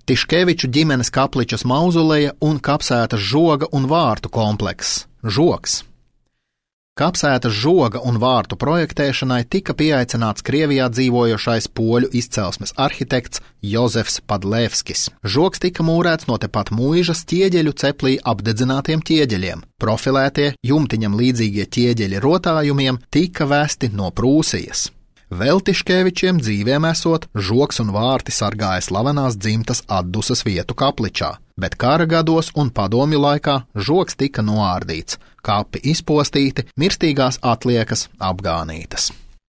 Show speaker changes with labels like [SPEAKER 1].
[SPEAKER 1] Tiškeviču ģimenes kapličas mauzoleja un kapsētas žoga un vārtu komplekss – Žogs. Kapsētas žoga un vārtu projektēšanai tika pieaicināts Krievijā dzīvojošais poļu izcelsmes arhitekts Jozefs Padlevskis. Žogs tika mūrēts no tepat Muižas ķieģeļu ceplī apdedzinātiem ķieģeļiem. Profilētie, jumtiņam līdzīgie ķieģeļi rotājumiem tika vesti no Prūsijas. Vēl Tiškevičiem dzīvēm esot, žogs un vārti sargāja slavenās dzimtas atdusas vietu kapličā, bet kara gados un padomju laikā žogs tika noārdīts, kapi izpostīti, mirstīgās atliekas apgānītas.